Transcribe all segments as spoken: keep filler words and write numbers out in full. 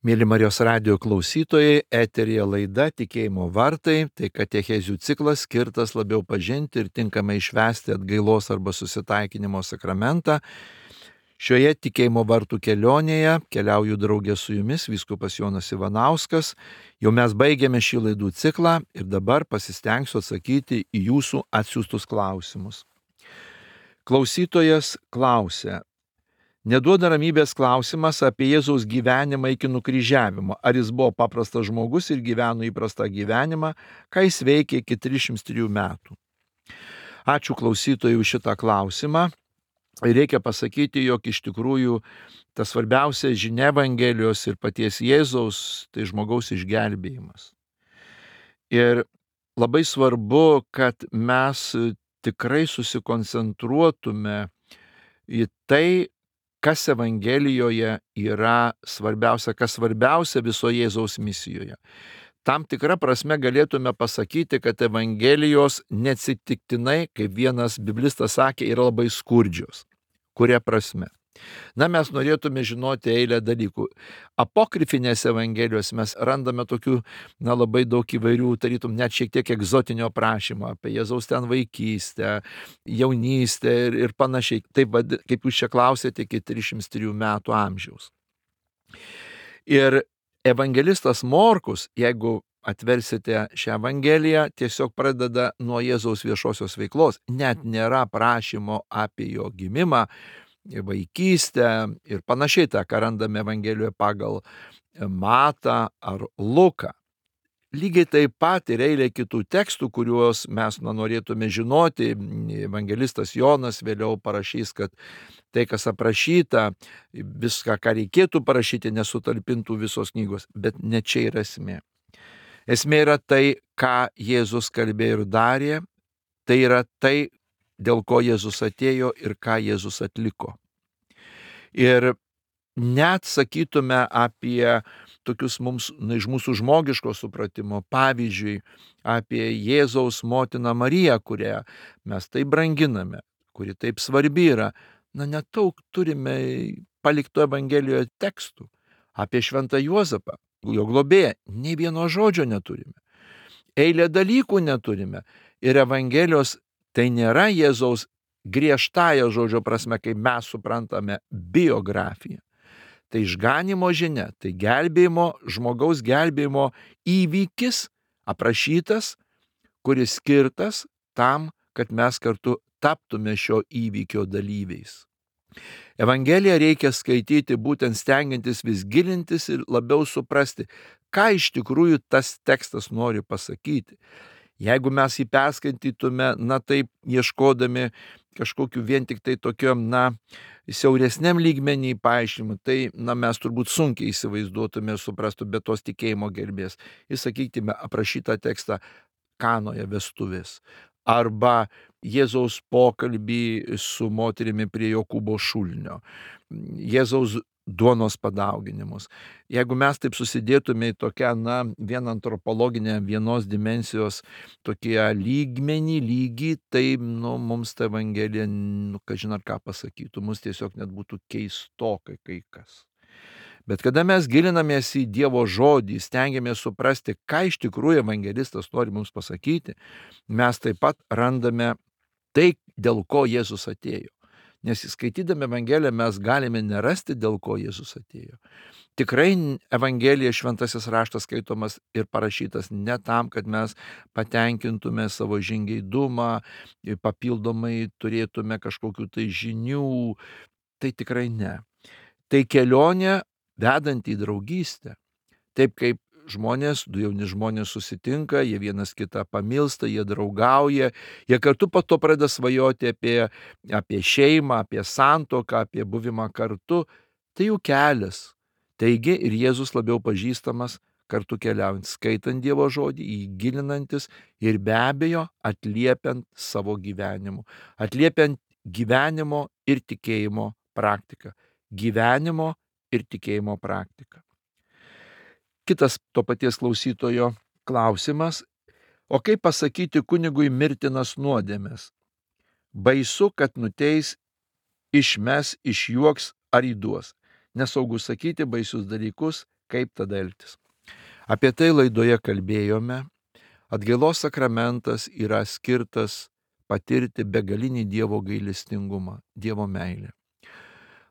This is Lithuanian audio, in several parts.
Mėly Marijos radijo klausytojai, eteryje laida Tikėjimo vartai, tai katechezių ciklas skirtas labiau pažinti ir tinkamai išvesti atgailos arba susitaikinimo sakramentą. Šioje Tikėjimo vartų kelionėje keliauju draugė su jumis vyskupas Jonas Ivanauskas. Jau mes baigėme šį laidų ciklą ir dabar pasistengsiu atsakyti į jūsų atsiųstus klausimus. Klausytojas klausė: neduoda ramybės klausimas apie Jėzaus gyvenimą iki nukryžiavimo. Ar jis buvo paprastas žmogus ir gyveno įprastą gyvenimą, ką jis veikė iki trisdešimt trijų metų? Ačiū klausytojui už šitą klausimą. Reikia pasakyti, jog iš tikrųjų ta svarbiausia žinia Evangelijos ir paties Jėzaus tai žmogaus išgelbėjimas. Ir labai svarbu, kad mes tikrai susikoncentruotume į tai, kas Evangelijoje yra svarbiausia, kas svarbiausia visoje Jėzaus misijoje. Tam tikrą prasme galėtume pasakyti, kad Evangelijos neatsitiktinai, kaip vienas biblistas sakė, yra labai skurdžios. Kuria prasme? Na, mes norėtume žinoti eilę dalykų. Apokrifinės Evangelijos mes randame tokių, na, labai daug įvairių, tarytum net šiek tiek egzotinio aprašymo apie Jėzaus ten vaikystę, jaunystę ir, ir panašiai. Taip, kaip jūs čia klausėte, iki trisdešimt trijų metų amžiaus. Ir evangelistas Morkus, jeigu atversite šią Evangeliją, tiesiog pradeda nuo Jėzaus viešosios veiklos. Net nėra prašymo apie jo gimimą, vaikystę ir panašiai, tą, ką randame Evangelijoje pagal Matą ar Luką. Lygiai taip pat ir eilė kitų tekstų, kuriuos mes na, norėtume žinoti. Evangelistas Jonas vėliau parašys, kad tai, kas aprašyta, viską, ką reikėtų parašyti, nesutalpintų visos knygos. Bet ne čia yra esmė. Esmė yra tai, ką Jėzus kalbėjo ir darė. Tai yra tai, dėl ko Jėzus atėjo ir ką Jėzus atliko. Ir net sakytume apie tokius mums, na, iš mūsų žmogiško supratimo, pavyzdžiui, apie Jėzaus motiną Mariją, kurią mes taip branginame, kuri taip svarbi yra, na, netaug turime palikto Evangelijoje tekstų. Apie šventą Juozapą, jo globėją, nei vieno žodžio neturime. Eilę dalykų neturime. Ir Evangelijos tai nėra Jėzaus griežtąją žodžio prasme, kaip mes suprantame, biografija. Tai išganimo žinia, tai gelbėjimo, žmogaus gelbėjimo įvykis aprašytas, kuris skirtas tam, kad mes kartu taptume šio įvykio dalyviais. Evangeliją reikia skaityti būtent stengiantis vis gilintis ir labiau suprasti, ką iš tikrųjų tas tekstas nori pasakyti. Jeigu mes jį perskaitytume, na taip, ieškodami kažkokiu vien tik tai tokiam, na, siauresniam lygmenį paaiškinimų, tai, na, mes turbūt sunkiai įsivaizduotume ir suprastume be tos tikėjimo gelbės. Ir sakytume, aprašytą tekstą Kanoje vestuvės. Arba Jėzaus pokalbį su moterimi prie Jokūbo šulinio. Jėzaus duonos padauginimus. Jeigu mes taip susidėtume į tokią, na, vieną antropologinę vienos dimensijos tokie lygmenį, lygį, tai, nu, mums ta Evangelija, nu, kažin ar ką pasakytų, mums tiesiog net būtų keistokai kai kas. Bet kada mes gilinamės į Dievo žodį, stengiamės suprasti, ką iš tikrųjų evangelistas nori mums pasakyti, mes taip pat randame tai, dėl ko Jėzus atėjo. Nes skaitydami Evangeliją mes galime nerasti, dėl ko Jėzus atėjo. Tikrai Evangelija, šventasis raštas skaitomas ir parašytas ne tam, kad mes patenkintume savo žingeidumą, papildomai turėtume kažkokių tai žinių. Tai tikrai ne. Tai kelionė vedant į draugystę. Taip kaip žmonės, du jauni žmonės susitinka, jie vienas kitą pamilsta, jie draugauja, jie kartu po to pradeda svajoti apie, apie šeimą, apie santuoką, apie buvimą kartu. Tai jų kelias. Taigi ir Jėzus labiau pažįstamas kartu keliaujant, skaitant Dievo žodį, įgilinantis ir be abejo atliepiant savo gyvenimu. Atliepiant gyvenimo ir tikėjimo praktiką. Gyvenimo ir tikėjimo praktika. Kitas to paties klausytojo klausimas: o kaip pasakyti kunigui mirtinas nuodėmes? Baisu, kad nuteis, išmes, išjuoks ar įduos. Nesaugu sakyti baisius dalykus, Kaip tada elgtis? Apie tai laidoje kalbėjome. Atgailos sakramentas yra skirtas patirti begalinį Dievo gailestingumą, Dievo meilę.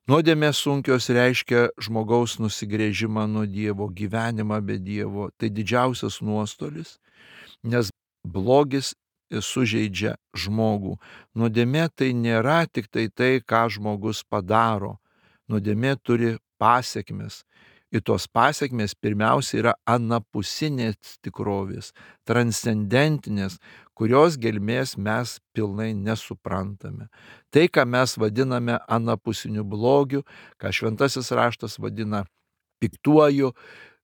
Nuodėmės sunkios reiškia žmogaus nusigręžimą nuo Dievo, gyvenimą be Dievo. Tai didžiausias nuostolis, nes blogis sužeidžia žmogų. Nuodėmė tai nėra tik tai tai, ką žmogus padaro. Nuodėmė turi pasekmes. Ir tos pasekmės pirmiausia yra anapusinės tikrovės, transcendentinės, kurios gelmės mes pilnai nesuprantame. Tai, ką mes vadiname anapusiniu blogiu, ką šventasis raštas vadina piktuoju,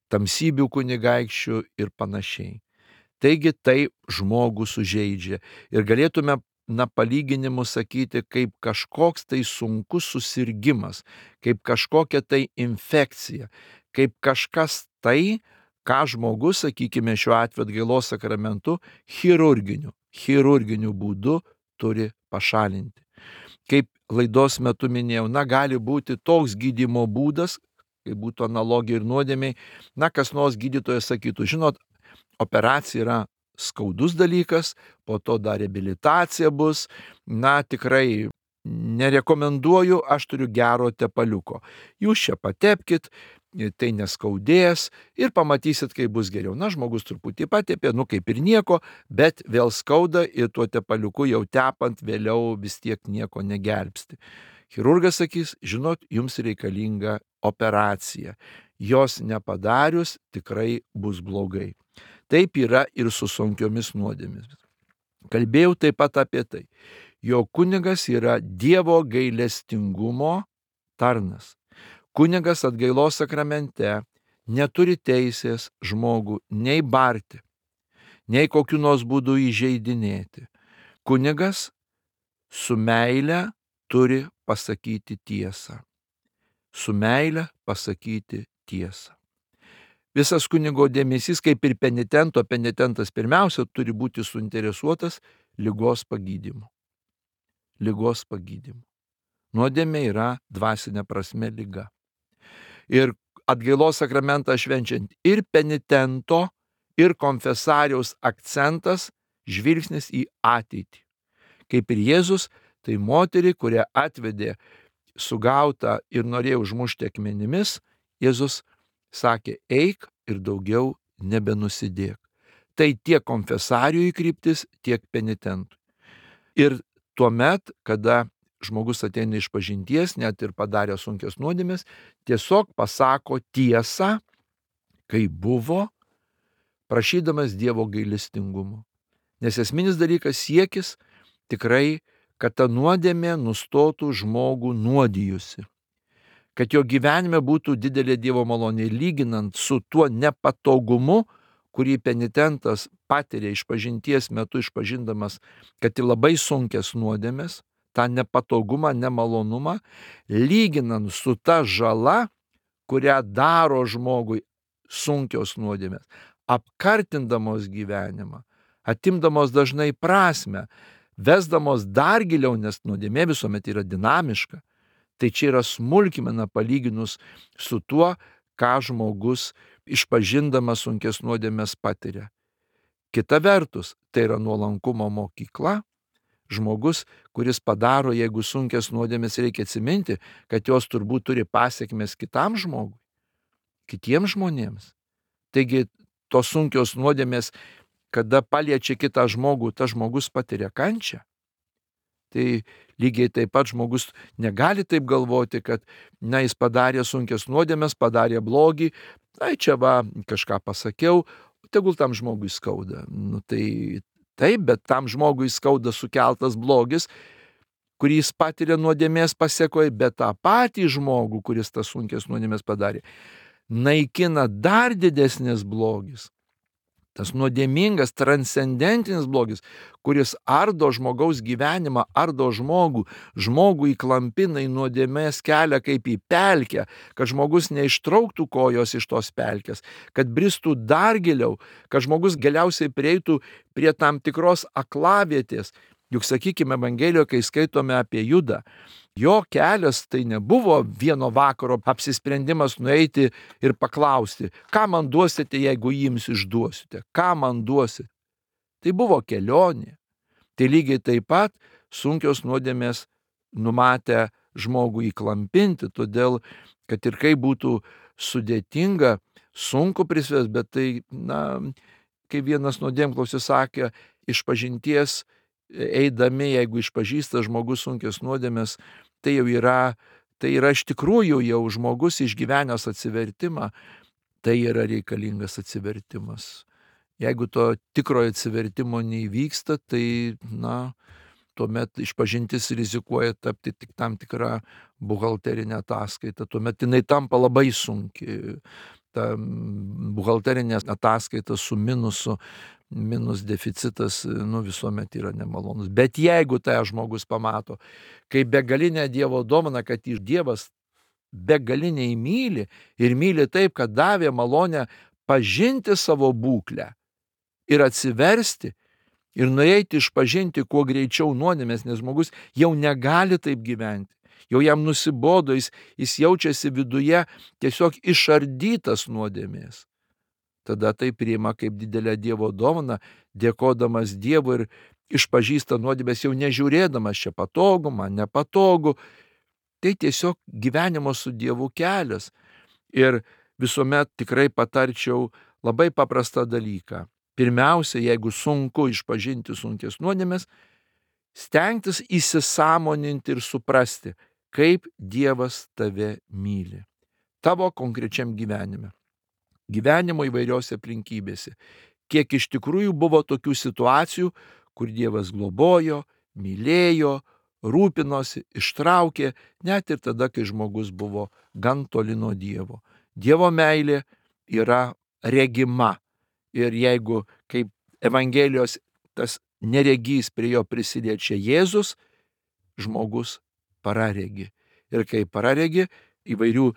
tamsybių kunigaikščiu ir panašiai. Taigi tai žmogų sužeidžia. Ir galėtume na, palyginimu sakyti, kaip kažkoks tai sunkus susirgimas, kaip kažkokia tai infekcija, kaip kažkas tai, ką žmogus, sakykime, šiuo atveju atgailos sakramentu, chirurginiu, chirurginiu būdu turi pašalinti. Kaip laidos metu minėjau, na, gali būti toks gydymo būdas, kaip būtų analogija ir nuodėmiai, na, kas nors gydytojas sakytų, žinot, operacija yra skaudus dalykas, po to dar reabilitacija bus, na, tikrai nerekomenduoju, aš turiu gero tepaliuko. Jūs čia patepkit, tai neskaudės ir pamatysit, kaip bus geriau. Na, žmogus truputį patepė, nu kaip ir nieko, bet vėl skauda ir tuo tepaliuku jau tepant vėliau vis tiek nieko negelbsti. Chirurgas sakys, žinot, jums reikalinga operacija. Jos nepadarius tikrai bus blogai. Taip yra ir su sunkiomis nuodėmėmis. Kalbėjau taip pat apie tai, jog kunigas yra Dievo gailestingumo tarnas. Kunigas atgailos sakramente neturi teisės žmogų nei barti, nei kokiu nors būdu įžeidinėti. Kunigas su meile turi pasakyti tiesą. Su meile pasakyti tiesą. Visas kunigo dėmesys, kaip ir penitento, penitentas pirmiausia turi būti suinteresuotas ligos pagydymu. Ligos pagydymu. Nuodėmė yra dvasinė prasme liga. Ir atgailos sakramentą švenčiant ir penitento, ir konfesariaus akcentas žvilgsnis į ateitį. Kaip ir Jėzus, tai moterį, kurią atvedė sugautą ir norėjo užmušti akmenimis, Jėzus sakė, eik ir daugiau nebenusidėk. Tai tiek konfesarijui kryptis, tiek penitentui. Ir tuomet, kada žmogus ateina iš pažinties, net ir padarė sunkias nuodėmės, tiesiog pasako tiesą, kai buvo, prašydamas Dievo gailestingumo. Nes esminis dalykas siekis tikrai, kad ta nuodėmė nustotų žmogų nuodijusi. Kad jo gyvenime būtų didelė Dievo malonė, lyginant su tuo nepatogumu, kurį penitentas patiria išpažinties metu, išpažindamas, kad į labai sunkias nuodėmės, tą nepatogumą, nemalonumą, lyginant su ta žala, kurią daro žmogui sunkios nuodėmės, apkartindamos gyvenimą, atimdamos dažnai prasmę, vesdamos dar giliau, nes nuodėmė visuomet yra dinamiška. Tai čia yra smulkmena palyginus su tuo, ką žmogus išpažindamas sunkias nuodėmės patiria. Kita vertus, tai yra nuolankumo mokykla. Žmogus, kuris padaro, jeigu sunkias nuodėmės, reikia atsiminti, kad jos turbūt turi pasekmes kitam žmogui, kitiems žmonėms. Taigi tos sunkios nuodėmės, kada paliečia kitą žmogų, tas žmogus patiria kančią. Tai lygiai taip pat žmogus negali taip galvoti, kad na, jis padarė sunkias nuodėmės, padarė blogį, tai čia va kažką pasakiau, tegul tam žmogui skauda. Nu, tai taip, bet tam žmogui skauda sukeltas blogis, kurį jis patiria nuodėmės pasekoje, bet tą patį žmogų, kuris tas sunkias nuodėmės padarė, naikina dar didesnis blogis. Tas nuodėmingas, transcendentinis blogis, kuris ardo žmogaus gyvenimą, ardo žmogų, žmogų įklampina į nuodėmės kelią kaip į pelkę, kad žmogus neištrauktų kojos iš tos pelkės, kad bristų dar giliau, kad žmogus galiausiai prieitų prie tam tikros aklavietės. Juk, sakykime, Evangelijoje, kai skaitome apie Judą, jo kelias tai nebuvo vieno vakaro apsisprendimas nueiti ir paklausti, ką man duosite, jeigu jums išduosite, ką man duosite. Tai buvo kelionė. Tai lygiai taip pat sunkios nuodėmės numatę žmogų įklampinti, todėl, kad ir kaip būtų sudėtinga, sunku prisvės, bet tai, na, kaip vienas nuodėmklausis sakė, išpažinties eidami, jeigu išpažįsta žmogus sunkias nuodėmės, tai jau yra, tai yra iš tikrųjų jau žmogus išgyvenęs atsivertimą, tai yra reikalingas atsivertimas. Jeigu to tikrojo atsivertimo neįvyksta, tai, na, tuomet išpažintis rizikuoja tapti tik tam tikrą buhalterinę ataskaitą, tuomet jinai tampa labai sunki. Ta buhalterinė ataskaita su minusu, minus deficitas, nu, visuomet yra nemalonus. Bet jeigu tai žmogus pamato, kaip begalinę Dievo dovaną, kad iš Dievas begaliniai myli ir myli taip, kad davė malonę pažinti savo būklę ir atsiversti ir nueiti išpažinti kuo greičiau nuodėmės, nes žmogus jau negali taip gyventi. Jau jam nusibodo, jis, jis jaučiasi viduje tiesiog išardytas nuodėmės. Tada tai priima kaip didelę Dievo dovaną, dėkodamas Dievui ir išpažįsta nuodėmės, jau nežiūrėdamas čia patogu, man nepatogu. Tai tiesiog gyvenimo su Dievu kelias. Ir visuomet tikrai patarčiau labai paprastą dalyką. Pirmiausia, jeigu sunku išpažinti sunkias nuodėmės, stengtis įsisąmoninti ir suprasti, kaip Dievas tave myli. Tavo konkrečiam gyvenime. Gyvenimo įvairiose aplinkybėse. Kiek iš tikrųjų buvo tokių situacijų, kur Dievas globojo, mylėjo, rūpinosi, ištraukė, net ir tada, kai žmogus buvo gan toli nuo Dievo. Dievo meilė yra regima. Ir jeigu, kaip Evangelijos tas neregys prie jo prisiliečia Jėzus, žmogus praregi. Ir kai praregi, įvairių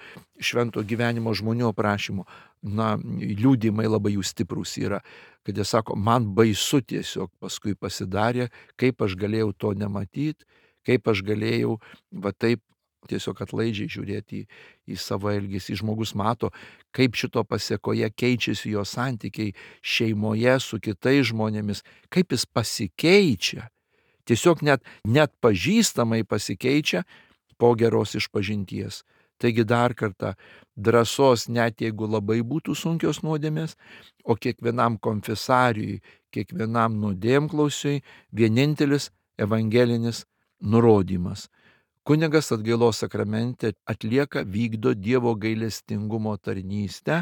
švento gyvenimo žmonių aprašymų, na, liudymai labai jų stiprus yra, kad jie sako, man baisu tiesiog paskui pasidarė, kaip aš galėjau to nematyti, kaip aš galėjau va taip tiesiog atlaidžiai žiūrėti į, į savo elgesį. Žmogus mato, kaip šito pasiekoje keičiasi jo santykiai šeimoje su kitais žmonėmis, kaip jis pasikeičia. Tiesiog net, net pažįstamai pasikeičia po geros išpažinties. Taigi dar kartą drąsos, net jeigu labai būtų sunkios nuodėmės, o kiekvienam konfesariui, kiekvienam nuodėmklausiui vienintelis evangelinis nurodymas. Kunigas atgailos sakramente atlieka, vykdo Dievo gailestingumo tarnystę,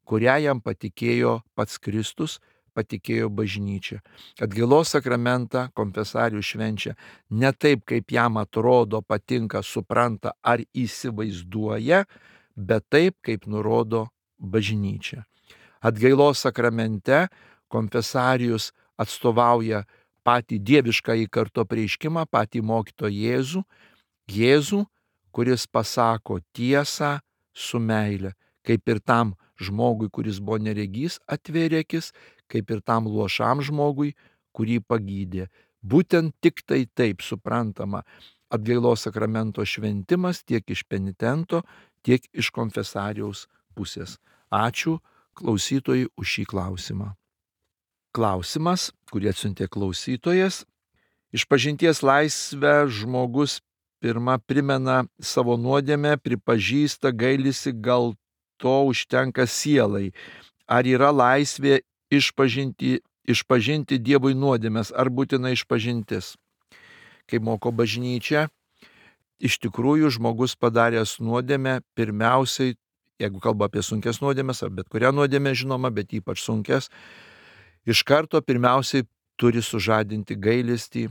kurią jam patikėjo pats Kristus, patikėjo bažnyčia. Atgailos sakramentą konfesarius švenčia ne taip, kaip jam atrodo, patinka, supranta ar įsivaizduoja, bet taip, kaip nurodo bažnyčia. Atgailos sakramente konfesarius atstovauja patį dieviškąjį karto apreiškimą, patį mokytoją Jėzų, Jėzų, kuris pasako tiesą su meile, kaip ir tam žmogui, kuris buvo neregys, atvėrė akis, kaip ir tam luošam žmogui, kurį pagydė. Būtent tik tai taip suprantama atgailos sakramento šventimas tiek iš penitento, tiek iš konfesariaus pusės. Ačiū klausytojui už šį klausimą. Klausimas, kurį atsiuntė klausytojas. Išpažinties laisvę žmogus pirma primena savo nuodėmę, pripažįsta, gailisi, gal to užtenka sielai. Ar yra laisvė išpažinti, išpažinti Dievui nuodėmės, ar būtina išpažintis? Kaip moko bažnyčia, iš tikrųjų žmogus padaręs nuodėmę, pirmiausiai, jeigu kalba apie sunkias nuodėmės, ar bet kurią nuodėmę žinoma, bet ypač sunkias, iš karto pirmiausiai turi sužadinti gailestį,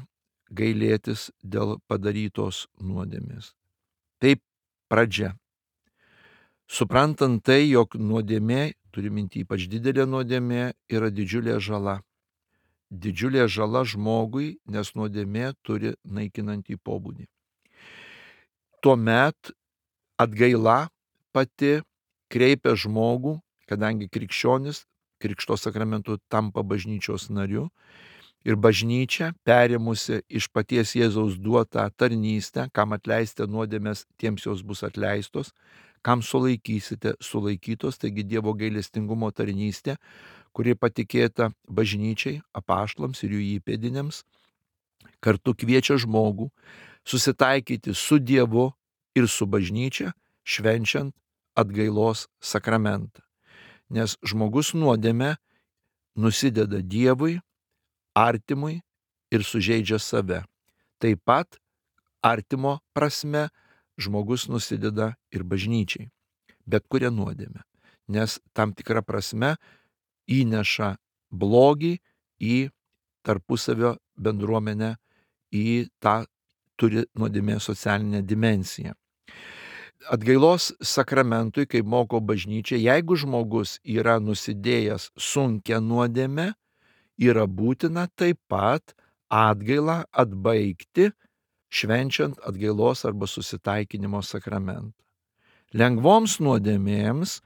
gailėtis dėl padarytos nuodėmės. Taip pradžia. Suprantant tai, jog nuodėmė, turi minti ypač didelė nuodėmė, yra didžiulė žala. Didžiulė žala žmogui, nes nuodėmė turi naikinantį pobūdį. Tuomet atgaila pati kreipia žmogų, kadangi krikščionis krikšto sakramentu tampa bažnyčios nariu, Ir bažnyčia, perėmusi iš paties Jėzaus duotą tarnystę, kam atleisite nuodėmės, tiems jos bus atleistos, kam sulaikysite, sulaikytos, taigi Dievo gailestingumo tarnystė, kuri patikėta bažnyčiai, apaštalams ir jų įpėdiniams, kartu kviečia žmogų susitaikyti su Dievu ir su bažnyčia, švenčiant atgailos sakramentą. Nes žmogus nuodėmę nusideda Dievui, artimui ir sužeidžia save. Taip pat artimo prasme žmogus nusideda ir bažnyčiai, bet kuria nuodėmė, nes tam tikra prasme įneša blogį į tarpusavio bendruomenę, į tą turi nuodėmė socialinę dimensiją. Atgailos sakramentui, kaip moko bažnyčia, jeigu žmogus yra nusidėjęs sunkią nuodėmę, yra būtina taip pat atgailą atbaigti, švenčiant atgailos arba susitaikinimo sakramentą. Lengvoms nuodėmėms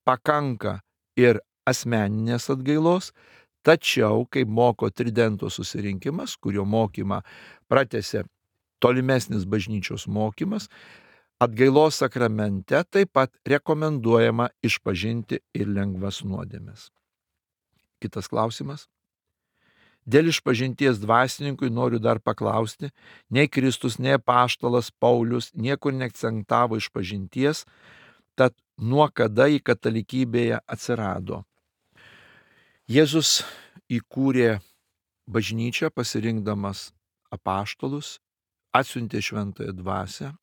pakanka ir asmeninės atgailos, tačiau, kaip moko Tridento susirinkimas, kurio mokymą pratęsė tolimesnis bažnyčios mokymas, atgailos sakramente taip pat rekomenduojama išpažinti ir lengvas nuodėmes. Kitas klausimas. Dėl išpažinties dvasininkui noriu dar paklausti, nei Kristus, nei apaštalas Paulius niekur neakcentavo išpažinties, tad nuo kada į katalikybėje atsirado. Jėzus įkūrė bažnyčią pasirinkdamas apaštalus, atsiuntė šventąją dvasią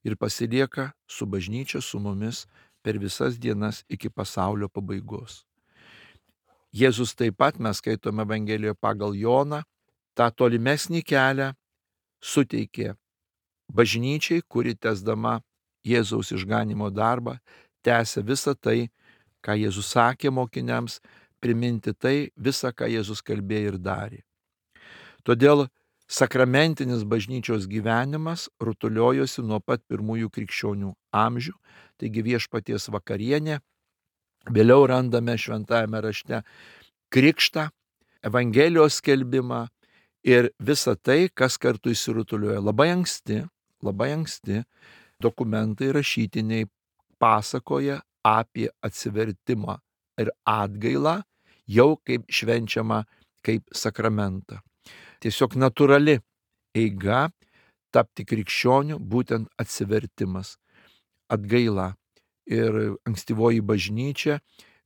ir pasilieka su bažnyčia su mumis per visas dienas iki pasaulio pabaigos. Jėzus taip pat, mes skaitome Evangelijoje pagal Joną, tą tolimesnį kelią suteikė bažnyčiai, kuri tęsdama Jėzaus išganimo darbą, tęsė visą tai, ką Jėzus sakė mokiniams, priminti tai visą, ką Jėzus kalbėjo ir darė. Todėl sakramentinis bažnyčios gyvenimas rutuliojosi nuo pat pirmųjų krikščionių amžių, taigi viešpaties vakarienė, vėliau randame šventajame rašte krikštą, Evangelijos skelbimą ir visą tai, kas kartu įsirutulioja. Labai anksti, labai anksti dokumentai rašytiniai pasakoja apie atsivertimą ir atgailą, jau kaip švenčiama kaip sakramentą. Tiesiog natūrali eiga tapti krikščioniu, būtent atsivertimas, atgaila. Ir ankstyvoji bažnyčia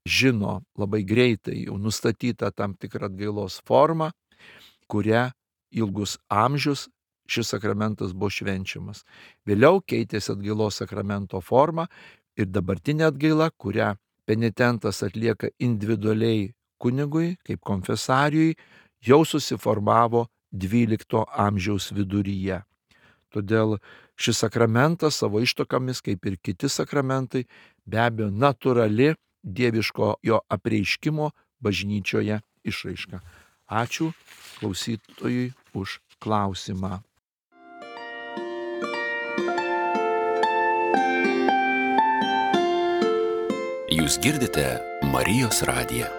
žino labai greitai jau nustatytą tam tikrą atgailos formą, kuria ilgus amžius šis sakramentas buvo švenčiamas. Vėliau keitėsi atgailos sakramento forma ir dabartinė atgaila, kurią penitentas atlieka individualiai kunigui, kaip konfesarijui, jau susiformavo dvylikto amžiaus viduryje. Todėl šis sakramentas savo ištakomis, kaip ir kiti sakramentai, be abejo natūrali dieviško jo apreiškimo bažnyčioje išraiška. Ačiū klausytojui už klausimą. Jūs girdite Marijos radiją.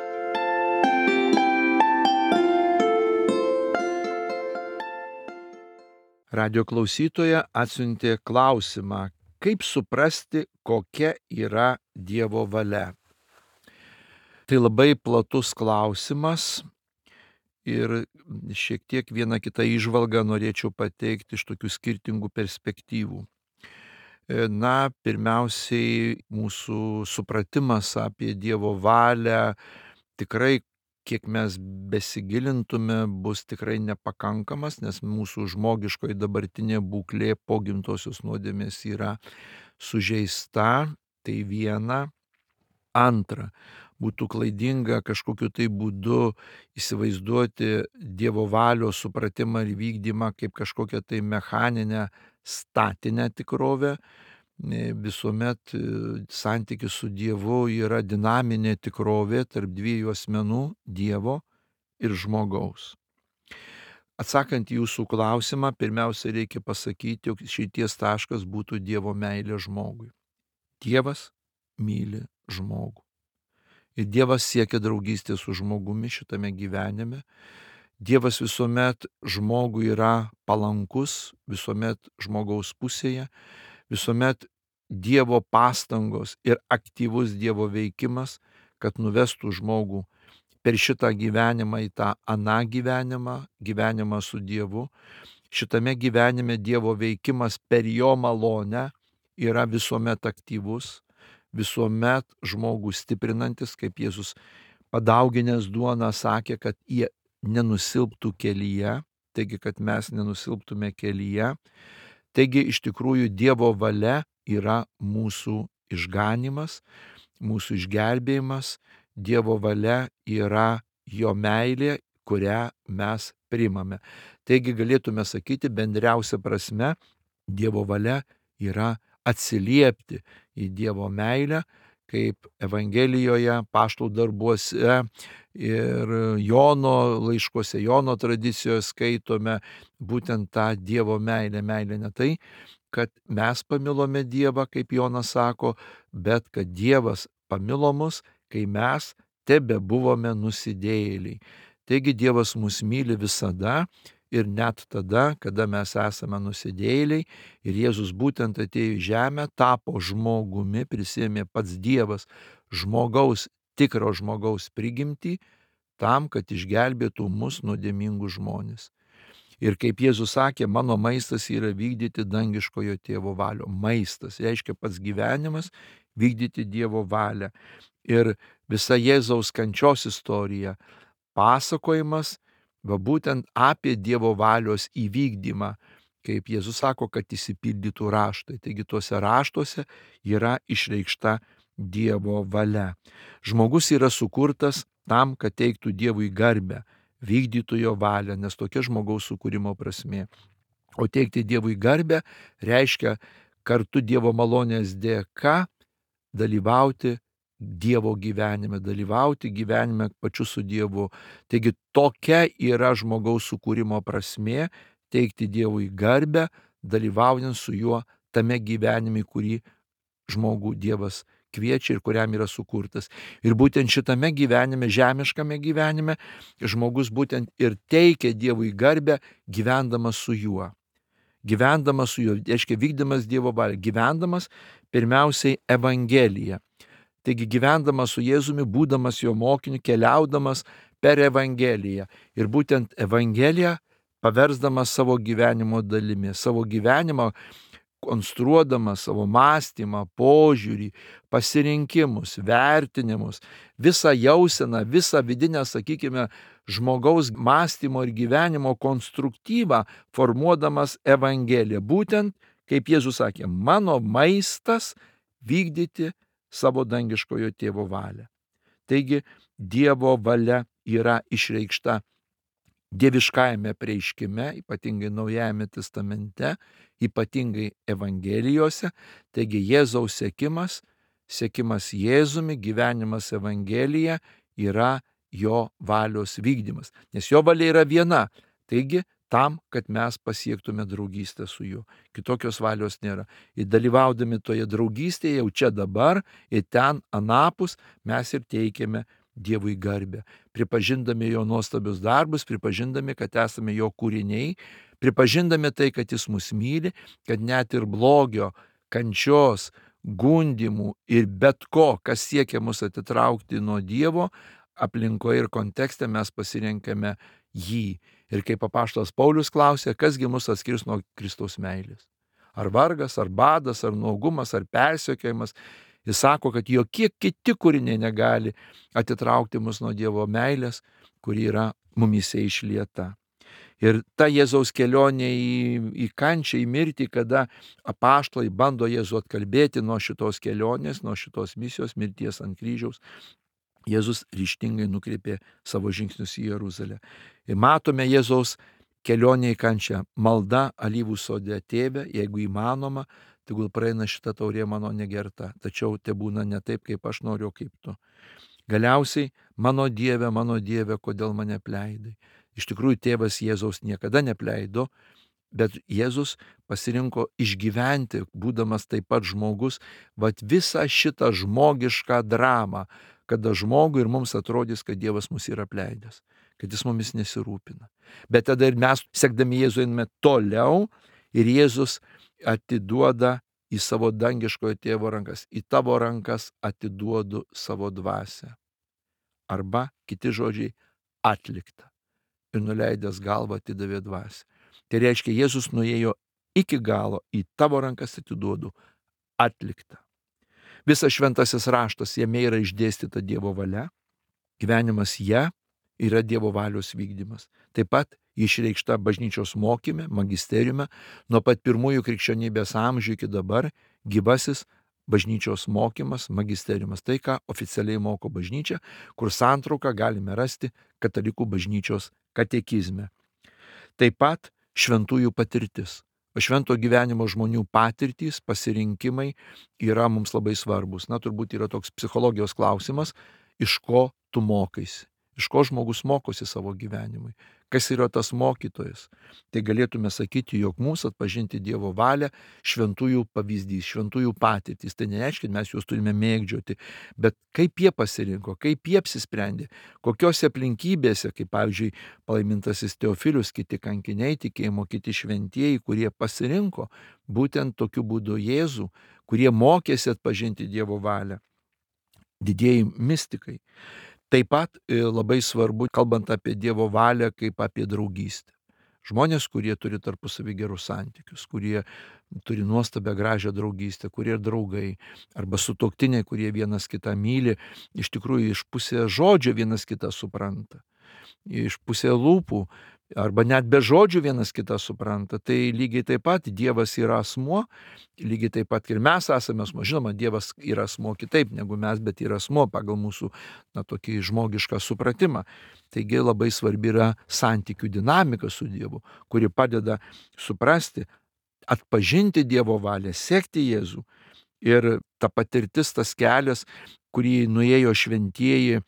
Radio klausytoja atsiuntė klausimą, kaip suprasti, kokia yra Dievo valia. Tai labai platus klausimas ir šiek tiek vieną kitą įžvalgą norėčiau pateikti iš tokių skirtingų perspektyvų. Na, pirmiausiai mūsų supratimas apie Dievo valią tikrai, kiek mes besigilintume, bus tikrai nepakankamas, nes mūsų žmogiškoji dabartinė būklė po gimtosios nuodėmės yra sužeista, tai viena. Antra, būtų klaidinga kažkokiu tai būdu įsivaizduoti Dievo valios supratimą ir vykdymą kaip kažkokią tai mechaninę, statinę tikrovę. Visuomet santykis su Dievu yra dinaminė tikrovė tarp dviejų asmenų, Dievo ir žmogaus. Atsakant į jūsų klausimą, pirmiausia reikia pasakyti, jog išeities taškas būtų Dievo meilė žmogui. Dievas myli žmogų. Ir Dievas siekia draugystės su žmogumi šitame gyvenime. Dievas visuomet žmogui yra palankus, visuomet žmogaus pusėje, visuomet Dievo pastangos ir aktyvus Dievo veikimas, kad nuvestų žmogų per šitą gyvenimą į tą aną gyvenimą, gyvenimą su Dievu. Šitame gyvenime Dievo veikimas per jo malonę yra visuomet aktyvus, visuomet žmogų stiprinantis, kaip Jėzus padauginęs duoną sakė, kad jie nenusilptų kelyje, taigi, kad mes nenusilptume kelyje. Taigi, iš tikrųjų, Dievo valia yra mūsų išganimas, mūsų išgelbėjimas, Dievo valia yra jo meilė, kurią mes priimame. Taigi galėtume sakyti, bendriausia prasme, Dievo valia yra atsiliepti į Dievo meilę, kaip Evangelijoje, Apaštalų darbuose ir Jono laiškuose, Jono tradicijoje skaitome būtent tą Dievo meilę. Meilė ne tai, kad mes pamilome Dievą, kaip Jonas sako, bet kad Dievas pamilo mus, kai mes tebe buvome nusidėjėliai. Taigi Dievas mus myli visada ir net tada, kada mes esame nusidėjėliai, ir Jėzus būtent atėjo į žemę, tapo žmogumi, prisėmė pats Dievas žmogaus, tikro žmogaus prigimtį, tam, kad išgelbėtų mus nuodėmingus žmones. Ir kaip Jėzus sakė, mano maistas yra vykdyti dangiškojo tėvo valią. Maistas reiškia pats gyvenimas, vykdyti Dievo valią. Ir visa Jėzaus kančios istorija, pasakojimas, va būtent apie Dievo valios įvykdymą, kaip Jėzus sako, kad išsipildytų raštai. Taigi tuose raštuose yra išreikšta Dievo valia. Žmogus yra sukurtas tam, kad teiktų Dievui garbę, vykdytų jo valią, nes tokia žmogaus sukūrimo prasmė. O teikti Dievui garbę reiškia kartu Dievo malonės dėka dalyvauti Dievo gyvenime, dalyvauti gyvenime pačiu su Dievu. Taigi tokia yra žmogaus sukūrimo prasmė, teikti Dievui garbę, dalyvaujant su juo tame gyvenime, kurį žmogų Dievas kviečia ir kuriam yra sukurtas. Ir būtent šitame gyvenime, žemiškame gyvenime, žmogus būtent ir teikia Dievui garbę, gyvendamas su juo. Gyvendamas su juo, reiškia vykdamas Dievo valią, gyvendamas pirmiausiai Evangeliją. Taigi gyvendamas su Jėzumi, būdamas jo mokiniu, keliaudamas per Evangeliją. Ir būtent Evangeliją paversdamas savo gyvenimo dalimi, savo gyvenimą konstruodamas savo mąstymą, požiūrį, pasirinkimus, vertinimus, visą jauseną, visą vidinę, sakykime, žmogaus mąstymo ir gyvenimo konstruktyvą formuodamas Evangeliją. Būtent, kaip Jėzus sakė, mano maistas vykdyti savo dangiškojo tėvo valią. Taigi Dievo valia yra išreikšta dieviškajame apreiškime, ypatingai Naujajame testamente, ypatingai Evangelijose. Taigi Jėzaus sekimas, sekimas Jėzumi, gyvenimas Evangelija yra jo valios vykdymas. Nes jo valia yra viena. Taigi tam, kad mes pasiektume draugystę su juo. Kitokios valios nėra. Ir dalyvaudami toje draugystėje jau čia dabar ir ten anapus mes ir teikiame Dievui garbę, pripažindami jo nuostabius darbus, pripažindami, kad esame jo kūriniai, pripažindami tai, kad jis mus myli, kad net ir blogio, kančios, gundimų ir bet ko, kas siekia mus atitraukti nuo Dievo, aplinkoje ir kontekste mes pasirenkame jį. Ir kaip apaštalas Paulius klausė, kasgi mus atskirs nuo Kristaus meilės? Ar vargas, ar badas, ar nuogumas, ar persekiojimas? Jis sako, kad jokie kiti kūriniai negali atitraukti mus nuo Dievo meilės, kuri yra mumyse išlieta. Ir ta Jėzaus kelionė į, į kančią, į mirtį, kada apaštalai bando Jėzų atkalbėti nuo šitos kelionės, nuo šitos misijos, mirties ant kryžiaus, Jėzus ryžtingai nukreipė savo žingsnius į Jeruzalę. Ir matome Jėzaus kelionė į kančią. Malda alyvų sode: Tėve, jeigu įmanoma, tegul praeina šita taurė mano negerta, tačiau tebūna ne taip, kaip aš noriu, o kaip tu. Galiausiai, mano Dieve, mano Dieve, kodėl mane apleidai? Iš tikrųjų, tėvas Jėzaus niekada neapleido, bet Jėzus pasirinko išgyventi, būdamas taip pat žmogus, vat visą šitą žmogišką dramą, kada žmogui ir mums atrodys, kad Dievas mus yra apleidęs, kad jis mumis nesirūpina. Bet tada ir mes, sekdami Jėzų, einame toliau ir Jėzus atiduoda į savo dangiškojo tėvo rankas. Į tavo rankas atiduodu savo dvasią. Arba, kiti žodžiai, atlikta. Ir nuleidęs galvą atidavė dvasią. Tai reiškia, Jėzus nuėjo iki galo, į tavo rankas atiduodu, atlikta. Visas šventasis raštas, jame yra išdėstyta Dievo valia, gyvenimas ją yra Dievo valios vykdymas. Taip pat išreikšta bažnyčios mokyme, magisteriume, nuo pat pirmųjų krikščionybės amžių iki dabar gyvasis bažnyčios mokymas, magisteriumas. Tai, ką oficialiai moko bažnyčia, kur santrauką galime rasti katalikų bažnyčios katekizme. Taip pat šventųjų patirtis. O švento gyvenimo žmonių patirtys, pasirinkimai yra mums labai svarbus. Na, turbūt yra toks psichologijos klausimas, iš ko tu mokaisi, iš ko žmogus mokosi savo gyvenimui, kas yra tas mokytojas. Tai galėtume sakyti, jog mūsų atpažinti Dievo valią šventųjų pavyzdys, šventųjų patirtys. Tai nereiškia, kad mes juos turime mėgdžioti, bet kaip jie pasirinko, kaip jie apsisprendė, kokiose aplinkybėse, kaip pavyzdžiui palaimintasis Teofilius, kiti kankiniai tikėjimo, kiti šventieji, kurie pasirinko būtent tokiu būdu Jėzų, kurie mokėsi atpažinti Dievo valią, didieji mistikai. Taip pat labai svarbu, kalbant apie Dievo valią, kaip apie draugystę. Žmonės, kurie turi tarpusavį gerus santykius, kurie turi nuostabią gražią draugystę, kurie draugai, arba sutuoktiniai, kurie vienas kitą myli, iš tikrųjų iš pusės žodžio vienas kitą supranta, iš pusės lūpų, arba net be žodžių vienas kitą supranta. Tai lygiai taip pat Dievas yra asmuo, lygiai taip pat ir mes esame asmuo. Žinoma, Dievas yra asmuo kitaip negu mes, bet yra asmuo pagal mūsų na, tokį žmogišką supratimą. Taigi labai svarbi yra santykių dinamika su Dievu, kuri padeda suprasti, atpažinti Dievo valią, sekti Jėzų. Ir ta patirtis, tas kelias, kurį nuėjo šventieji,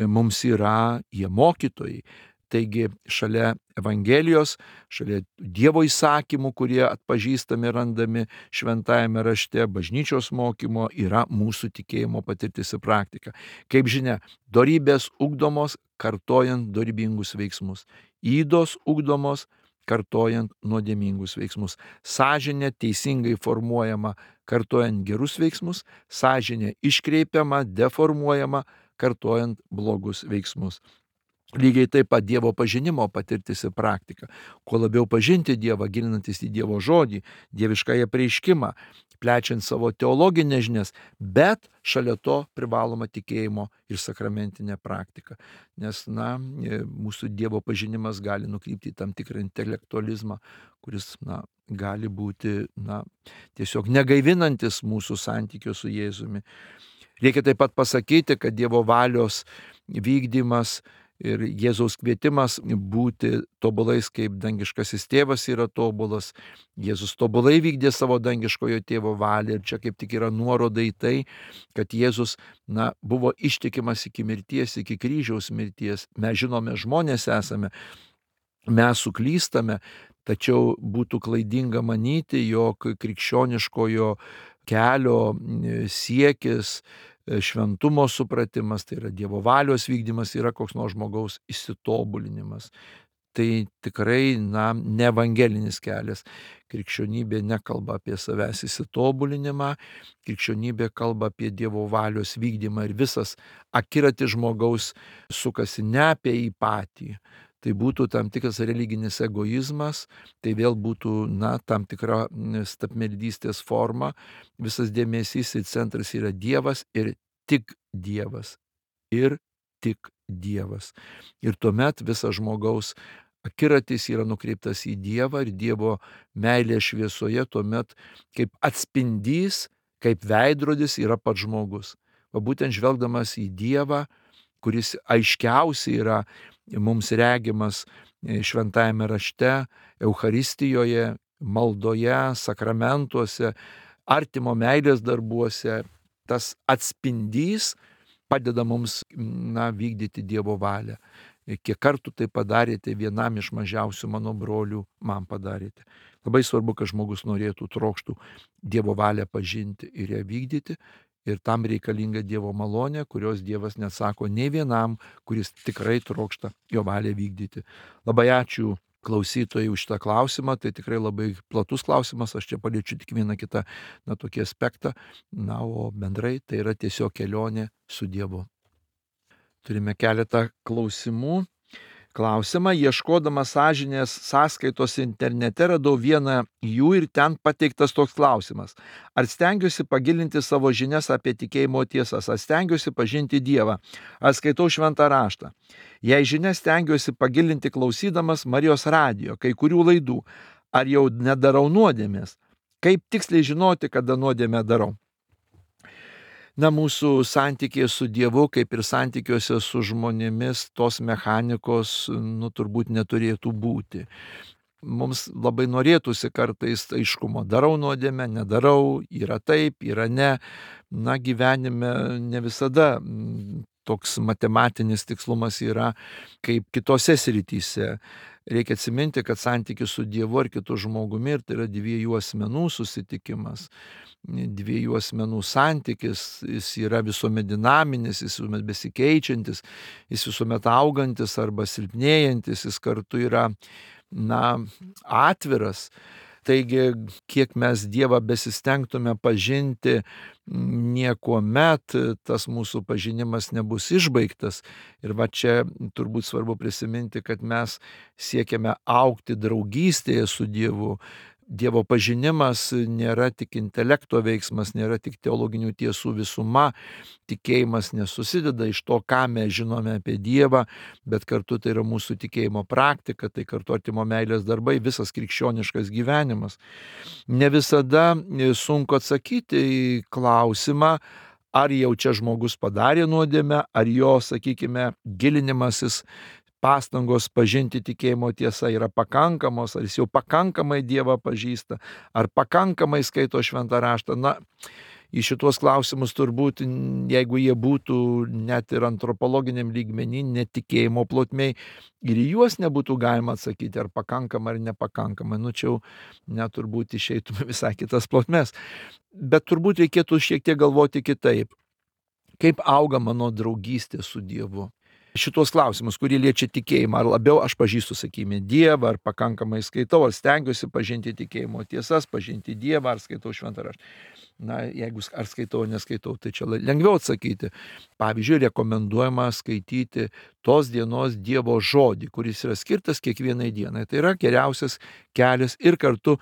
mums yra jie mokytojai. Taigi šalia Evangelijos, šalia Dievo įsakymų, kurie atpažįstami randami šventajame rašte, bažnyčios mokymo, yra mūsų tikėjimo patirtis ir praktika. Kaip žinia, dorybės ugdomos kartojant dorybingus veiksmus, ydos ugdomos kartojant nuodėmingus veiksmus, sąžinė teisingai formuojama kartojant gerus veiksmus, sąžinė iškreipiama, deformuojama kartojant blogus veiksmus. Lygiai taip pat Dievo pažinimo patirtis ir praktika. Kuo labiau pažinti Dievą, gilinantis į Dievo žodį, dieviškąją apreiškimą, plečiant savo teologinės žinias, bet šalia to privaloma tikėjimo ir sakramentinė praktika. Nes, na, mūsų Dievo pažinimas gali nukrypti į tam tikrą intelektualizmą, kuris, na, gali būti, na, tiesiog negaivinantis mūsų santykio su Jėzumi. Reikia taip pat pasakyti, kad Dievo valios vykdymas ir Jėzaus kvietimas būti tobulais, kaip dangiškasis tėvas yra tobulas. Jėzus tobulai vykdė savo dangiškojo tėvo valią ir čia kaip tik yra nuoroda į tai, kad Jėzus na, buvo ištikimas iki mirties, iki kryžiaus mirties. Mes žinome, žmonės esame, mes suklystame, tačiau būtų klaidinga manyti, jog krikščioniškojo kelio siekis, šventumo supratimas, tai yra Dievo valios vykdymas, yra koks nors žmogaus įsitobulinimas. Tai tikrai, na, ne evangelinis kelias. Krikščionybė nekalba apie savęs įsitobulinimą, krikščionybė kalba apie Dievo valios vykdymą ir visas akiratis žmogaus sukasi ne apie jį patį. Tai būtų tam tikras religinis egoizmas, tai vėl būtų, na, tam tikra stabmeldystės forma, visas dėmesys ir centras yra Dievas ir tik Dievas. Ir tik Dievas. Ir tuomet visas žmogaus akiratis yra nukreiptas į Dievą ir Dievo meilės šviesoje, tuomet kaip atspindys, kaip veidrodis yra pats žmogus. O būtent žvelgdamas į Dievą, kuris aiškiausiai yra mums regimas šventajame rašte, Eucharistijoje, maldoje, sakramentuose, artimo meilės darbuose, tas atspindys padeda mums na, vykdyti Dievo valią. Kiek kartų tai padarėte vienam iš mažiausių mano brolių, man padarėte. Labai svarbu, kad žmogus norėtų, trokštų Dievo valią pažinti ir ją vykdyti. Ir tam reikalinga Dievo malonė, kurios Dievas nesako nei vienam, kuris tikrai trokšta jo valią vykdyti. Labai ačiū klausytojai už šitą klausimą, tai tikrai labai platus klausimas, aš čia paliečiu tik vieną kitą, na, tokį aspektą, na, o bendrai tai yra tiesiog kelionė su Dievu. Turime keletą klausimų. Klausimą, ieškodamas sąžinės sąskaitos internete radau vieną jų ir ten pateiktas toks klausimas. Ar stengiuosi pagilinti savo žinias apie tikėjimo tiesas, ar stengiuosi pažinti Dievą, ar skaitau šventą raštą. Jei žinias stengiuosi pagilinti klausydamas Marijos radijo, kai kurių laidų, ar jau nedarau nuodėmės, kaip tiksliai žinoti, kada nuodėmę darau. Na, mūsų santykėje su Dievu, kaip ir santykiuose su žmonėmis, tos mechanikos, nu, turbūt neturėtų būti. Mums labai norėtųsi kartais aiškumo, darau nuodėmę, nedarau, yra taip, yra ne. Na, gyvenime ne visada toks matematinis tikslumas yra kaip kitose srityse. Reikia atsiminti, kad santykis su Dievu ar kitu žmogumi, ir tai yra dviejų asmenų susitikimas, dviejų asmenų santykis, jis yra visuomet dinaminis, jis visuomet besikeičiantis, jis visuomet augantis arba silpnėjantis, jis kartu yra, na, atviras. Taigi, kiek mes Dievą besistengtume pažinti, niekuomet tas mūsų pažinimas nebus išbaigtas. Ir va čia turbūt svarbu prisiminti, kad mes siekiame augti draugystėje su Dievu. Dievo pažinimas nėra tik intelekto veiksmas, nėra tik teologinių tiesų visuma. Tikėjimas nesusideda iš to, ką mes žinome apie Dievą, bet kartu tai yra mūsų tikėjimo praktika, tai kartu artimo meilės darbai, visas krikščioniškas gyvenimas. Ne visada sunku atsakyti į klausimą, ar jau čia žmogus padarė nuodėmę, ar jo, sakykime, gilinimasis, pastangos pažinti tikėjimo tiesą yra pakankamos, ar jis jau pakankamai Dievą pažįsta, ar pakankamai skaito šventą raštą. Na, į šituos klausimus turbūt, jeigu jie būtų net ir antropologiniam lygmenį, netikėjimo plotmėj, ir į juos nebūtų galima atsakyti, ar pakankamai ar nepakankamai. Nu, čia jau net turbūt išeitume visai kitas plotmės. Bet turbūt reikėtų šiek tiek galvoti kitaip. Kaip auga mano draugystė su Dievu? Šitos klausimus, kurie liečia tikėjimą, ar labiau aš pažįstu, sakykime, Dievą, ar pakankamai skaitau, ar stengiuosi pažinti tikėjimo tiesas, pažinti Dievą, ar skaitau šventą raštą. Na, jeigu ar skaitau, ar neskaitau, tai čia lengviau atsakyti. Pavyzdžiui, rekomenduojama skaityti tos dienos Dievo žodį, kuris yra skirtas kiekvienai dienai. Tai yra geriausias kelias ir kartu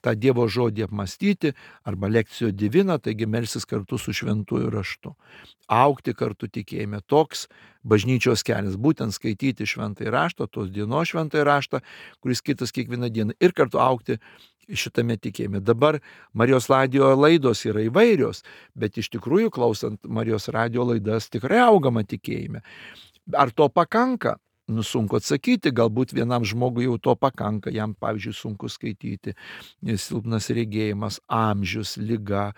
tą Dievo žodį apmastyti, arba lekcijo divina, taigi melsis kartu su šventuoju raštu. Augti kartu tikėjime. Toks bažnyčios kelias, būtent skaityti šventąjį raštą, tos dienos šventąjį raštą, kuris skirtas kiekvieną dieną, ir kartu augti šitame tikėjime. Dabar Marijos radijo laidos yra įvairios, bet iš tikrųjų, klausant Marijos radijo laidas, tikrai augama tikėjime. Ar to pakanka? Nu, sunku atsakyti, galbūt vienam žmogui jau to pakanka, jam, pavyzdžiui, sunku skaityti, silpnas regėjimas, amžius, liga.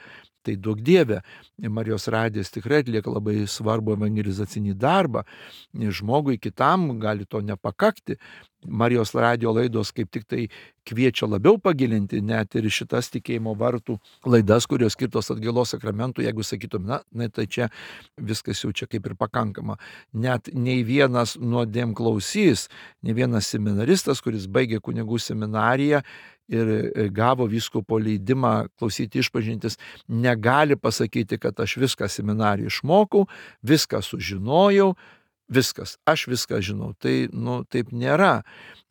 Tai duok Dieve, Marijos radijas tikrai atlieka labai svarbų evangelizacinį darbą. Žmogui kitam gali to nepakakti. Marijos radijo laidos kaip tik tai kviečia labiau pagilinti net ir šitas tikėjimo vartų laidas, kurios skirtos atgailos sakramentų. Jeigu sakytum, na, na, tai čia viskas jau čia kaip ir pakankama. Net nei vienas nuodėm klausys, nei vienas seminaristas, kuris baigė kunigų seminariją ir gavo vyskupo leidimą klausyti išpažintis, negali pasakyti, kad aš viską seminariją išmokau, viską sužinojau, viskas, aš viską žinau. Tai, nu, taip nėra.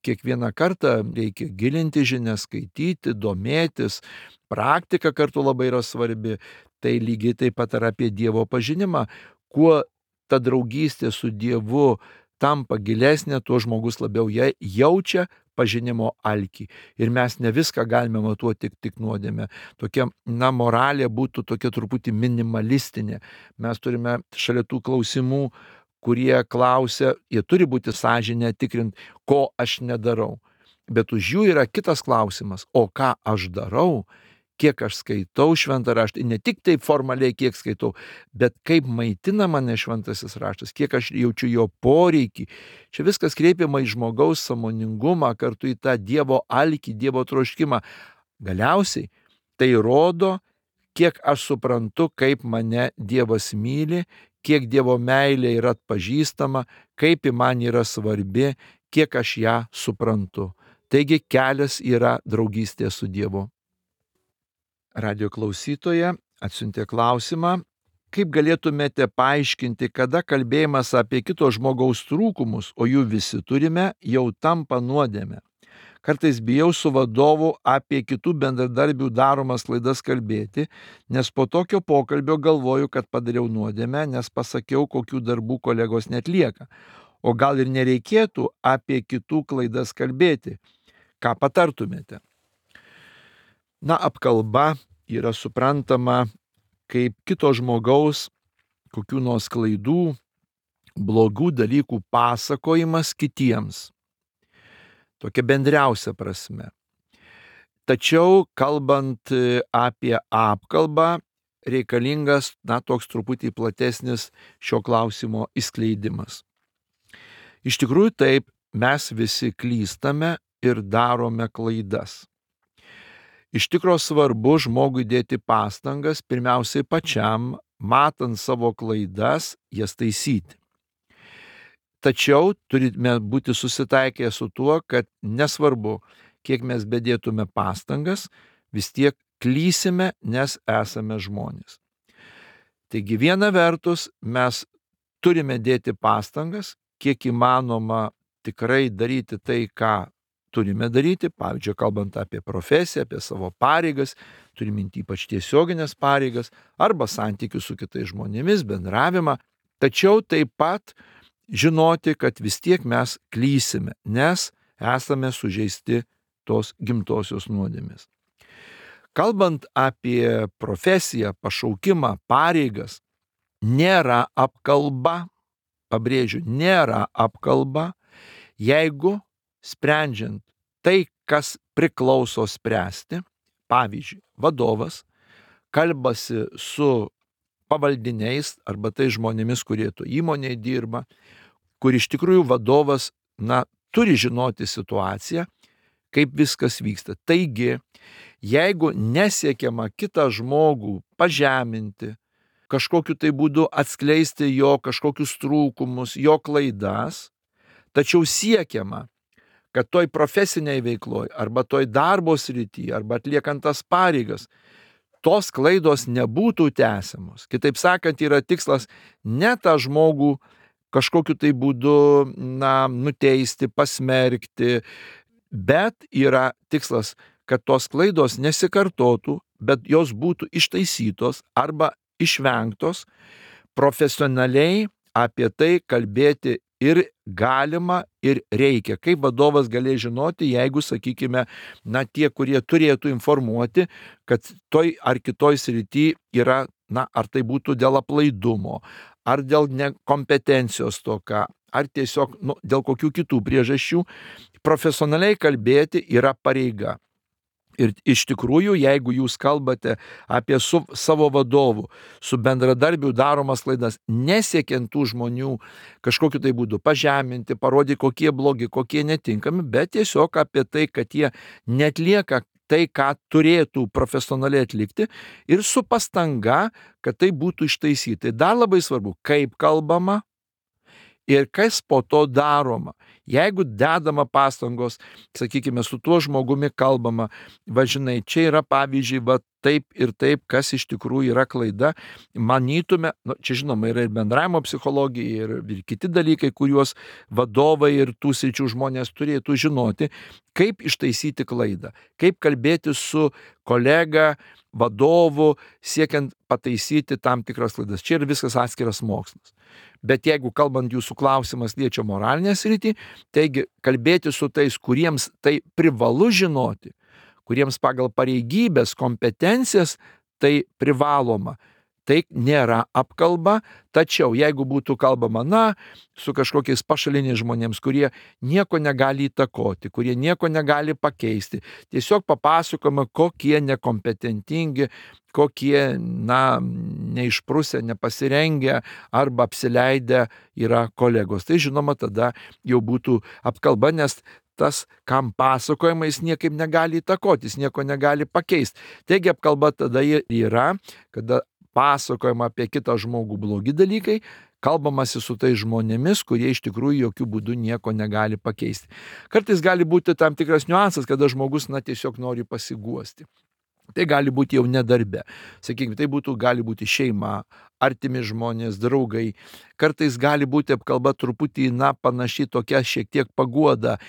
Kiekvieną kartą reikia gilinti žinias, skaityti, domėtis. Praktika kartu labai yra svarbi. Tai lygiai taip pat yra apie Dievo pažinimą. Kuo ta draugystė su Dievu tampa gilesnė, tuo žmogus labiau jaučia pažinimo alkį. Ir mes ne viską galime matuoti tik, tik nuodėmę. Tokia, na, moralė būtų tokia truputį minimalistinė. Mes turime šalia tų klausimų, kurie klausia, jie turi būti sąžinę tikrint, ko aš nedarau. Bet už jų yra kitas klausimas, o ką aš darau, kiek aš skaitau šventą raštą, ne tik taip formaliai, kiek skaitau, bet kaip maitina mane šventasis raštas, kiek aš jaučiu jo poreikį. Čia viskas kreipiama į žmogaus sąmoningumą, kartu į tą Dievo alkį, Dievo troškimą. Galiausiai tai rodo, kiek aš suprantu, kaip mane Dievas myli, kiek Dievo meilė yra atpažįstama, kaip ji man yra svarbi, kiek aš ją suprantu. Taigi kelias yra draugystė su Dievu. Radio klausytoja atsiuntė klausimą, kaip galėtumėte paaiškinti, kada kalbėjimas apie kito žmogaus trūkumus, o jų visi turime, jau tampa nuodėme. Kartais bijau su vadovu apie kitų bendradarbių daromas klaidas kalbėti, nes po tokio pokalbio galvoju, kad padariau nuodėmę, nes pasakiau, kokių darbų kolegos netlieka. O gal ir nereikėtų apie kitų klaidas kalbėti. Ką patartumėte? Na, apkalba yra suprantama kaip kito žmogaus kokių nors klaidų, blogų dalykų pasakojimas kitiems. Tokia bendriausia prasme. Tačiau, kalbant apie apkalbą, reikalingas, na, toks truputį platesnis šio klausimo išskleidimas. Iš tikrųjų taip, mes visi klystame ir darome klaidas. Iš tikrųjų svarbu žmogui dėti pastangas, pirmiausiai pačiam, matant savo klaidas, jas taisyti. Tačiau turime būti susitaikę su tuo, kad nesvarbu, kiek mes bedėtume pastangas, vis tiek klysime, nes esame žmonės. Taigi viena vertus mes turime dėti pastangas, kiek įmanoma tikrai daryti tai, ką turime daryti, pavyzdžiui, kalbant apie profesiją, apie savo pareigas, turime ypač tiesioginės pareigas arba santykius su kitais žmonėmis, bendravimą, tačiau taip pat žinoti, kad vis tiek mes klysime, nes esame sužeisti tos gimtosios nuodėmės. Kalbant apie profesiją, pašaukimą, pareigas, nėra apkalba, pabrėžiu, nėra apkalba, jeigu sprendžiant tai, kas priklauso spręsti, pavyzdžiui, vadovas kalbasi su pavaldiniais arba tai žmonėmis, kurie to įmonėje dirba, kur iš tikrųjų vadovas, na, turi žinoti situaciją, kaip viskas vyksta. Taigi, jeigu nesiekiama kitą žmogų pažeminti, kažkokiu tai būdu atskleisti jo kažkokius trūkumus, jo klaidas, tačiau siekiama, kad toj profesiniai veikloj arba toj darbo srity arba atliekant tas pareigas, tos klaidos nebūtų tęsiamos. Kitaip sakant, yra tikslas ne tą žmogų kažkokiu tai būdu, na, nuteisti, pasmerkti, bet yra tikslas, kad tos klaidos nesikartotų, bet jos būtų ištaisytos arba išvengtos, profesionaliai apie tai kalbėti ir galima, ir reikia. Kaip vadovas galės žinoti, jeigu, sakykime, na, tie, kurie turėtų informuoti, kad toj ar kitoj srity yra, na, ar tai būtų dėl aplaidumo, ar dėl nekompetencijos stoka, ar tiesiog, nu, dėl kokių kitų priežasčių, profesionaliai kalbėti yra pareiga. Ir iš tikrųjų, jeigu jūs kalbate apie su savo vadovu, su bendradarbiu daromas klaidas, nesiekiant tų žmonių kažkokiu tai būdu pažeminti, parodyti, kokie blogi, kokie netinkami, bet tiesiog apie tai, kad jie netlieka tai, ką turėtų profesionaliai atlikti ir su pastanga, kad tai būtų ištaisyti. Dar labai svarbu, kaip kalbama ir kas po to daroma. Jeigu dedama pastangos, sakykime, su tuo žmogumi kalbama, va žinai, čia yra pavyzdžiui, va taip ir taip, kas iš tikrųjų yra klaida, manytume, nu, čia žinoma yra ir bendravimo psichologija, ir, ir kiti dalykai, kuriuos vadovai ir tų sričių žmonės turėtų žinoti, kaip ištaisyti klaidą, kaip kalbėti su kolega, vadovu, siekiant pataisyti tam tikras klaidas. Čia yra viskas atskiras mokslas. Bet jeigu kalbant jūsų klausimas liečia moralinę sritį, taigi kalbėti su tais, kuriems tai privalu žinoti, kuriems pagal pareigybės, kompetencijas tai privaloma, tai nėra apkalba, tačiau jeigu būtų kalbama, na, su kažkokiais pašaliniais žmonėms, kurie nieko negali įtakoti, kurie nieko negali pakeisti, tiesiog papasakoma, kokie nekompetentingi, kokie, na, neišprusę, nepasirengę arba apsileidę yra kolegos. Tai žinoma, tada jau būtų apkalba, nes tas, kam pasakojama, jis niekaip negali įtakoti, jis nieko negali pakeisti. Taigi apkalba tada yra, kada pasakojama apie kitą žmogų blogi dalykai, kalbamasi su tais žmonėmis, kurie iš tikrųjų jokių būdų nieko negali pakeisti. Kartais gali būti tam tikras niuansas, kada žmogus, na, tiesiog nori pasiguosti. Tai gali būti jau nedarbe. Sakykime, tai būtų, gali būti šeima, artimi žmonės, draugai. Kartais gali būti apkalba truputį, na, panaši tokia šiek tiek paguoda.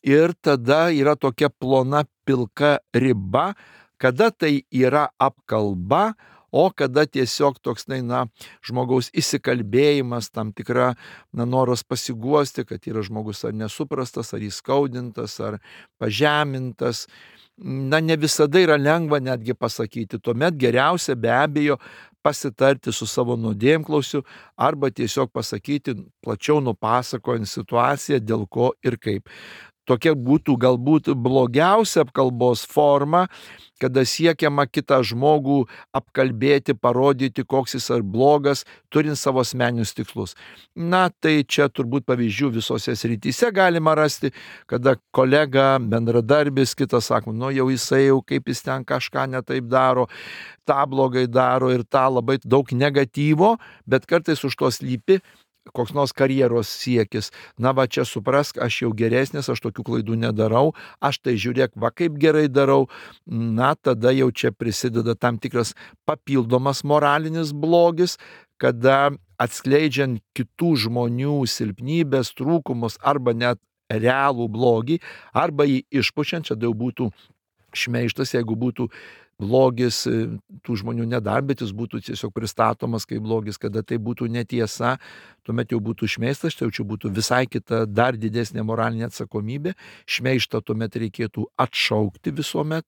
Ir tada yra tokia plona pilka riba, kada tai yra apkalba, o kada tiesiog toks, na, žmogaus įsikalbėjimas, tam tikra, na, noras pasiguosti, kad yra žmogus ar nesuprastas, ar įskaudintas, ar pažemintas. Na, ne visada yra lengva netgi pasakyti. Tuomet geriausia be abejo pasitarti su savo nuodėmklausiu arba tiesiog pasakyti, plačiau nupasakojant situaciją, dėl ko ir kaip. Tokia būtų galbūt blogiausia apkalbos forma, kada siekiama kitą žmogų apkalbėti, parodyti, koks jis ar blogas, turint savo asmeninius tikslus. Na, tai čia turbūt pavyzdžių visose srityse galima rasti, kada kolega, bendradarbis, kitas sako, nu jau jisai jau kaip jis ten kažką netaip daro, tą blogai daro ir tą labai daug negatyvo, bet kartais už to slypi koks nors karjeros siekis. Na va, čia suprask, aš jau geresnis, aš tokių klaidų nedarau, aš tai žiūrėk, va kaip gerai darau. Na, tada jau čia prisideda tam tikras papildomas moralinis blogis, kada atskleidžiant kitų žmonių silpnybės, trūkumus arba net realų blogį, arba jį išpučiant, čia jau būtų šmeižtas, jeigu būtų blogis tų žmonių nedar, bet jis būtų tiesiog pristatomas kaip blogis, kada tai būtų netiesa, tuomet jau būtų šmeistas, tai jau čia būtų visai kita, dar didesnė moralinė atsakomybė, šmeištą tuomet reikėtų atšaukti visuomet.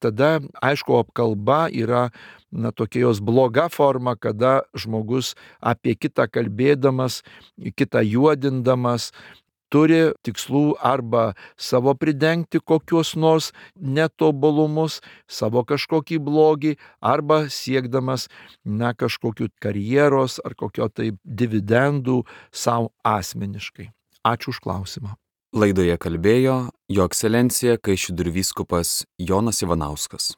Tada, aišku, apkalba yra, na, tokia jos bloga forma, kada žmogus apie kitą kalbėdamas, kitą juodindamas, turi tikslų arba savo pridengti kokios nors netobulumus, savo kažkokį blogį, arba siekdamas, na, kažkokių karjeros ar kokio tai dividendų savo asmeniškai. Ačiū už klausimą. Laidoje kalbėjo Jo Ekscelencija Kaišiadorių vyskupas Jonas Ivanauskas.